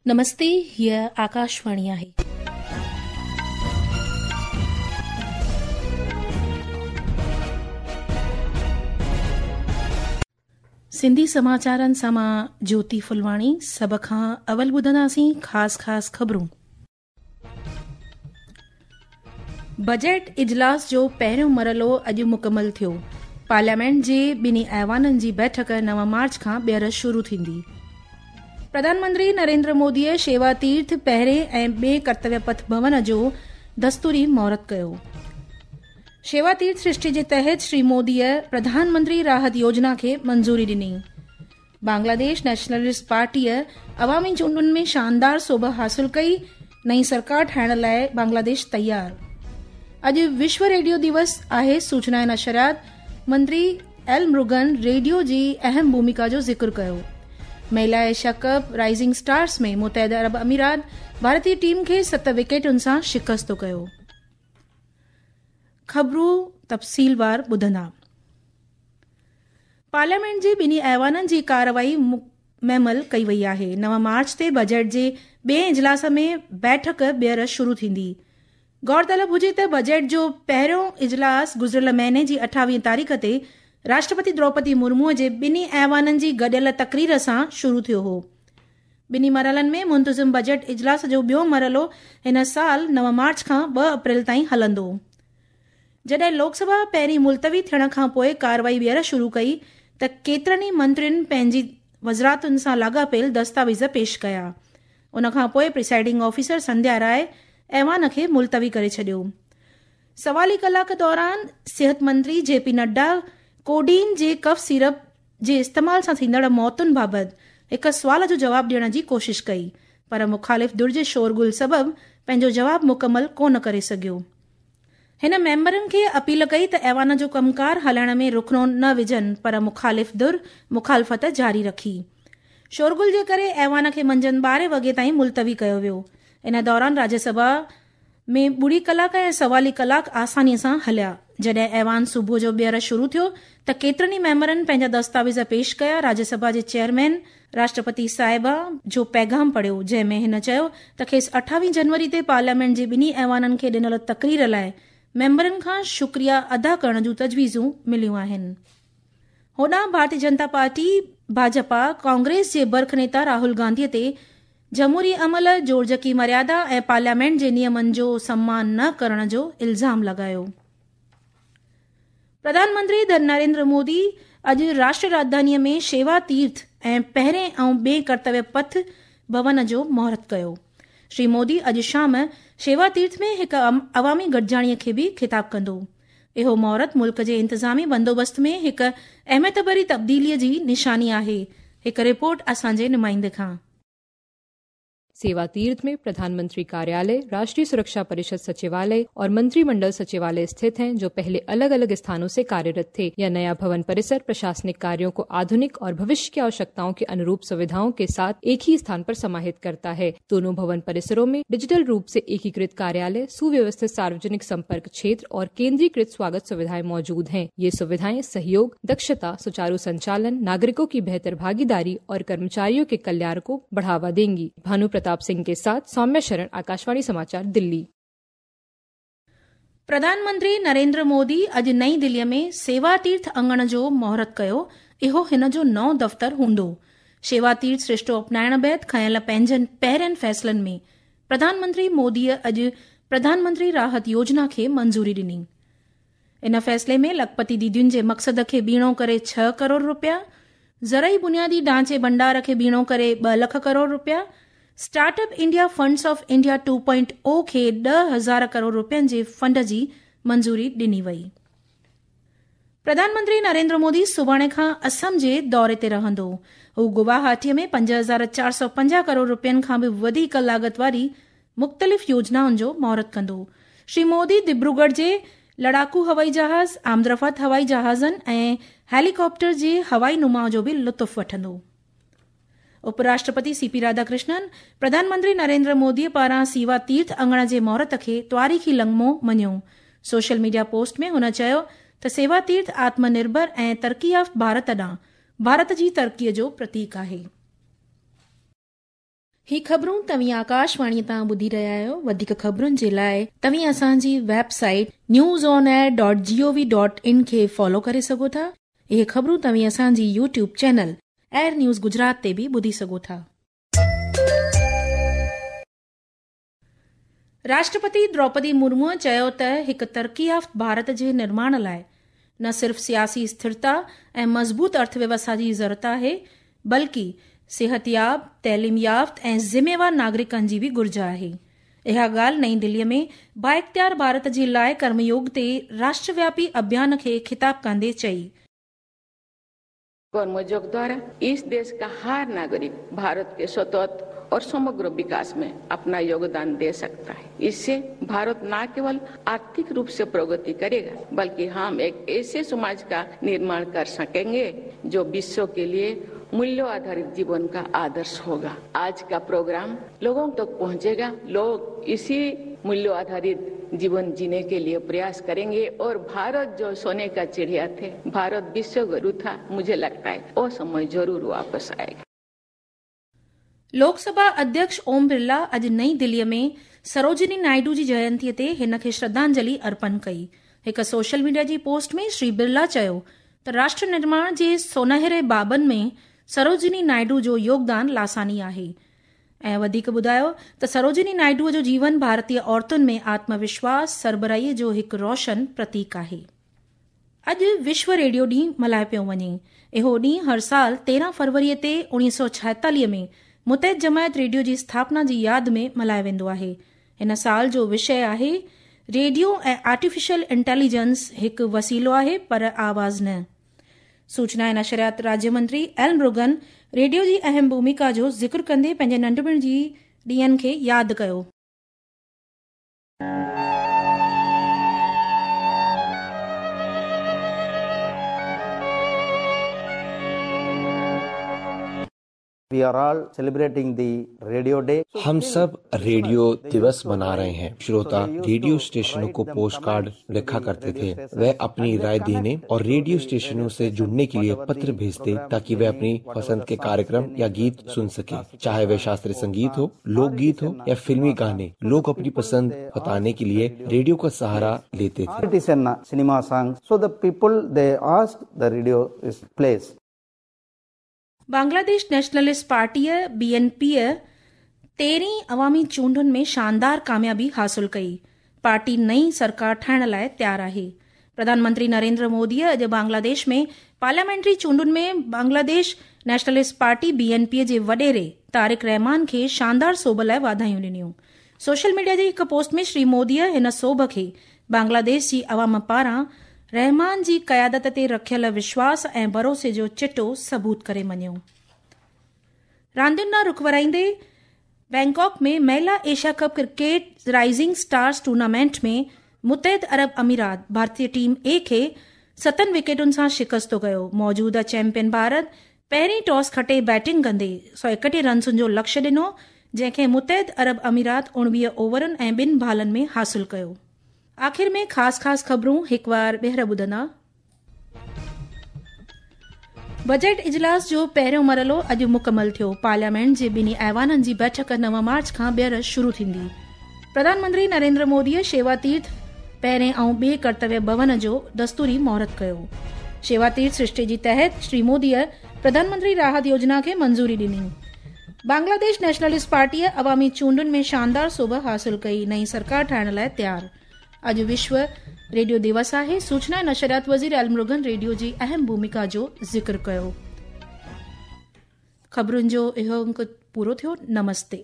نمستي هيء آڪاشواڻي آهي. سنڌي سماچارن سان مان جوتي ڦلواڻي سڀ کان اول ٻڌنداسين خاص خاص خبرون. بجيٽ اجلاس جو پهريون مرحلو اڄ مڪمل ٿيو، پارليامينٽ جي ٻنهي ايوانن جي بيٺڪ 9 مارچ کان ٻيهر شروع ٿيندي. پرڌان منتري نريندر موديء شيوا تيرٿ پهرين ۽ ٻئين ڪرتويه پٿ ڀون جو دستوري مهورت ڪيو. شيوا تيرٿ سرشتي جي تحت شري موديء پرڌان منتري راحت يوجنا کي منظوري ڏني. بنگلاديش نيشنلسٽ پارٽيء عوامي چونڊن ۾ شاندار سوڀ حاصل ڪئي، نئين سرڪار ٺاهڻ لاء بنگلاديش تيار. اڄ وشو ريڊيو ديوس آهي، سوچنا ۽ نشريات منتري ايل مرگن ريڊيو جي اهم ڀوميڪا جو ذڪر ڪيو. مهلا ايشيا ڪپ رائزنگ اسٽارز ۾ متحده عرب اميرات ڀارتي ٽيم کي ست وڪيٽن سان شڪست ڪيو. خبرون تفصيلوار ٻڌندا. پارليامينٽ جي ٻنهي ايوانن جي ڪارروائي معمل ڪئي وئي آهي. 9 مارچ تي بجيٽ جي ٻئين اجلاس ۾ بيٺڪ ٻيهر شروع ٿيندي. غور طلب هجي ته بجيٽ جو پهريون اجلاس گذريل مهيني جي 28 تاريخ تي راشٽرپتي دروپدي مرمو جي ٻنهي ايوانن جي گڏيل تقرير سان شروع ٿيو هو. ٻنهي مرحلن ۾ منتظم بجيٽ اجلاس جو ٻيو مرحلو هن سال 9 مارچ کان 2 اپريل تائين هلندو. جڏهن لوڪ سڀا پهرين ملتوي ٿيڻ کان پوء ڪارروائي ٻيهر شروع ڪئي ته ڪيترن ئي منترين پنهنجي وزارتن سان لاڳاپيل دستاويز پيش ڪيا. ان کان پوء پريسائيڊنگ آفيسر سنڌيا راء ايوان کي ملتوي ڪري ڇڏيو. سوالي ڪلاڪ دوران صحت منتري جي پي نڊا ڪوڊين جي ڪف سيرپ جي استعمال سان ٿيندڙ موتن بابت هڪ سوال جو جواب ڏيڻ جي ڪوشش ڪئي پر مخالف ڌر جي شورغل سبب پنهنجو جواب مڪمل ڪونه ڪري سگهيو. هن ميمبرن کي اپيل ڪئي ته ايوان جو ڪم ڪار هلائڻ ۾ رخنو نه وجهن پر مخالف ڌر مخالفت جاري رکي. شورغل جي ڪري ايوان کي منجهند 12 وڳي تائين ملتوي ڪيو ويو. ان دوران راجيه سڀا ۾ ٻڙي ڪلاڪ ۽ سوالي ڪلاڪ آساني سان هليا. جڏهن ايوان صبح جو ٻيهر شروع ٿيو ته ڪيترن ئي ميمبرن پنهنجا دستاويز پيش ڪيا. راجيه سڀا جي چيئرمين راشٽرپتي صاحبه جو پيغام پڙهيو، جنهن ۾ هن چيو ته کيس 28 جنوري تي پارليامينٽ جي ٻنهي ايوانن کي ڏنل تقرير لاء ميمبرن کان شڪريا ادا ڪرڻ جون تجويزون مليون آهن. هوڏانهن ڀارتي جنتا پارٽي، ڀاجپا، ڪانگريس جي برک نيتا راهول گانڌي تي جمهوري عمل، جوڙجڪي مريادا ۽ پارليامينٽ جي نيمن جو سمان نه ڪرڻ جو الزام لڳايو. پرڌان منتري نريندر مودي اڄ راشٽر راڄڌانيء ۾ شيوا تيرٿ ۽ پهرين ۽ ٻئين ڪرتويه پٿ ڀون جو مهورت ڪيو. شري مودي اڄ شام شيوا تيرٿ ۾ هڪ عوامي گڏجاڻيء کي به خطاب ڪندو. اهو مهورت ملڪ جي انتظامي بندوبست ۾ هڪ اهميت ڀري تبديليء جي نشاني آهي. هڪ رپورٽ اسان جي نمائندي کان. सेवा तीर्थ में प्रधानमंत्री कार्यालय, राष्ट्रीय सुरक्षा परिषद सचिवालय और मंत्रिमंडल सचिवालय स्थित हैं, जो पहले अलग अलग स्थानों से कार्यरत थे। यह नया भवन परिसर प्रशासनिक कार्यों को आधुनिक और भविष्य की आवश्यकताओं के अनुरूप सुविधाओं के साथ एक ही स्थान पर समाहित करता है। दोनों भवन परिसरों में डिजिटल रूप से एकीकृत कार्यालय, सुव्यवस्थित सार्वजनिक संपर्क क्षेत्र और केंद्रीकृत स्वागत सुविधाएं मौजूद हैं। ये सुविधाएं सहयोग, दक्षता, सुचारू संचालन, नागरिकों की बेहतर भागीदारी और कर्मचारियों के कल्याण को बढ़ावा देंगी। भानु प्रताप सिंह के साथ सौम्य शरण, आकाशवाणी समाचार, दिल्ली। प्रधान मंत्री नरेंद्र मोदी अॼु नई दिल्लीअ में सेवा तीर्थ अंगण जो मुहूर्त कयो। इहो हिन जो नओं दफ़्तर हूंदो। शेवा तीर्थ सृष्टो अपनाइण बाद खयियल पंहिंजनि पहिरियनि फ़ैसिलनि में प्रधान मंत्री मोदीअ अॼु प्रधान मंत्री राहत योजना खे मंज़ूरी ॾिनी। इन फ़ैसिले में लखपति दीदियुनि जे मक़सद खे ॿीणो करे 6 करोड़ रुपया, ज़रई बुनियादी ढांचे भंडार खे ॿीणो करे 2 लख करोड़ रुपया, startup India funds of India 2.0 खे 10,000 करोड़ रुपयनि जे फंड जी मंज़ूरी ॾिनी वई। प्रधान मंत्री नरेंद्र मोदी सुभाणे खां असम जे दौरे ते रहंदो। हू गुवाहाटीअ में 5450 करोड़ रुपयनि खां बि वधीक लागत वारी मुख़्तलिफ़ योजनाउनि जो मुहूर्त कंदो। श्री मोदी दिब्रूगढ़ जे लड़ाकू हवाई जहाज़, आमदरफ़्त हवाई जहाज़नि ऐं हेलीकॉप्टर जे हवाई नुमाउ जो बि लुत्फ़ वठंदो। उपराष्ट्रपति सीपी राधाकृष्णन प्रधानमंत्री नरेंद्र मोदीअ पारां सेवा तीर्थ अंगण जे मुहूर्त खे तारीख़ी लम्हो मञियो। सोशल मीडिया पोस्ट में हुन चयो त सेवा तीर्थ आत्मनिर्भर ऐं तरक़ी याफ़्त भारत ॾांहुं भारत जी तरक़ीअ जो प्रतीक आहे। هي خبرون توهين آڪاشواڻي تان ٻڌي رهيا آهيو. وڌيڪ خبرن جي لاء توهين اسان جي website news on air dot G O V dot in کي فالو ڪري سگهو ٿا. اهي خبرون توهين اسان جي YouTube channel AIR news Gujarat تي به ٻڌي سگهو ٿا. راشٽرپتي دروپدي مرموء چيو ته هڪ ترقي يافت ڀارت جي نرماڻ لاء نه صرف سياسي اسٿرتا ۽ مضبوط ارٿويوسٿا جي ضرورت آهي بلڪه صحتياب، تعليم يافت ۽ ذميوار ناگرڪن جي به گهرج آهي. اها ڳالهه نئين دلي ۾ بااختيار ڀارت جي لاء ڪرميوگ تي راشٽروياپي اڀيان کي خطاب ڪندي چئي. कर्मयोग द्वारा इस देश का हर नागरिक भारत के सतत और समग्र विकास में अपना योगदान दे सकता है। इससे भारत न केवल आर्थिक रूप से प्रगति करेगा बल्कि हम एक ऐसे समाज का निर्माण कर सकेंगे जो विश्व के लिए मूल्य आधारित जीवन का आदर्श होगा। आज का प्रोग्राम लोगों तक पहुंचेगा, लोग इसी मूल्य आधारित जीवन जीने के लिए प्रयास करेंगे और भारत जो सोने का चिड़िया थे, भारत विश्व गुरु था, मुझे लगता है वो समय जरूर वापस आएगा। लोकसभा अध्यक्ष ओम बिरला अॼु नई दिल्लीअ में सरोजिनी नायडू जी जयंतीअ ते हिन खे श्रद्धांजलि अर्पण कई। हिकु सोशल मीडिया जी पोस्ट में श्री बिरला चयो त राष्ट्र निर्माण जे सोनहरे बाबनि में सरोजिनी नायडू जो योगदान लासानी आहे ऐं वधीक ॿुधायो त सरोजिनी नायडूअ जो जीवन भारतीय औरतुनि में आत्मविश्वास, सरबराहीअ जो हिकु रोशन प्रतीक आहे। अॼु विश्व रेडियो ॾींहुं मल्हायो पियो वञे। इहो ॾींहुं हर साल 13 फरवरीअ ते 1946 में मुतहद जमायत रेडियो जी स्थापना जी याद में मल्हायो वेंदो आहे। हिन साल जो विषय आहे रेडियो ऐं आर्टिफिशियल इंटेलिजेंस हिकु वसीलो आहे पर आवाज़ न। सूचना ऐं नशरियात राज्य मंत्री एल मुरुगन रेडियो जी अहम भूमिका जो ज़िक्र कंदे पंहिंजे नंढपण जी ॾींहंनि खे यादि कयो। We are all celebrating the radio day. हम सब रेडियो दिवस मना रहे हैं। श्रोता रेडियो स्टेशनों को पोस्ट कार्ड लिखा करते थे। वह अपनी राय देने और रेडियो स्टेशनों से जुड़ने के लिए पत्र भेजते ताकि वे अपनी पसंद के कार्यक्रम या गीत सुन सके, चाहे वह शास्त्रीय संगीत हो, लोकगीत हो या फिल्मी गाने। लोग अपनी पसंद बताने के लिए रेडियो का सहारा लेते थे। It is a cinema song. So the people they ask the radio is plays. Bangladesh nationalist पार्टीअ बीएनपीअ 13 अवामी चूंडुनि में शानदार कामयाबी हासिल कई। पार्टी नई सरकार ठाहिण लाइ तयारु आहे। प्रधानमंत्री नरेंद्र मोदीअ अॼु बांग्लादेश में पार्लियामेंट्री चूंडुनि में बांग्लादेश नेशनलिस्ट पार्टी बीएनपीअ जे वॾेरे तारिक रहमान खे शानदार सोभ लाइ वाधायूं ॾिनियूं। सोशल मीडिया जे हिकु पोस्ट में श्री मोदीअ हिन सोभ खे बांग्लादेश जी अवाम पारां रहमान जी क़यादत ते रखियल विश्वास ऐं भरोसे जो चिटो सबूत करे मञियो। रांदियुनि ॾांहुं रुख वराईंदे बैंकॉक में महिला Asia cup cricket rising stars tournament में मुतहद अरब अमीरात भारतीय टीम ए खे 7 विकेटुनि सां शिकस्तो कयो। मौजूदा चैंपियन भारत पहिरीं टॉस खटे बैटिंग कंदे 131 रन्सुनि जो लक्ष्य ॾिनो, जंहिंखे मुतहद अरब अमीरात 19 ओवरनि ऐं 2 बालनि में हासिल कयो। आख़िर में ख़ासि ख़ासि ख़बरूं हिकु वार ॿीहर ॿुधंदा। बजट इजलास जो पहिरियों मरहलो अॼु मुकमल थियो। पार्लियामेंट जे ॿिन्ही ऐवाननि जी बैठक 9 मार्च खां ॿीहर शुरू थींदी। प्रधानमंत्री नरेंद्र मोदीअ शेवा तीर्थ पहिरें ऐं ॿिए कर्तव्य भवन जो दस्तूरी मुहूर्त कयो। शेवा तीर्थ सृष्टि जी तहत श्री मोदीअ प्रधानमंत्री राहत योजना खे मंज़ूरी ॾिनी। बांग्लादेश नेशनलिस्ट पार्टीअ अवामी चूंडुनि में शानदार सोभ हासिल कई, नई सरकार ठाहिण लाइ तयारु। अॼु विश्व रेडियो दिवस आहे। सूचना ऐं नशरियात वज़ीर एल मुरुगन रेडियो जी अहम भूमिका जो ज़िक्र कयो। ख़बरुनि जो इहो अंक पूरो थियो। नमस्ते।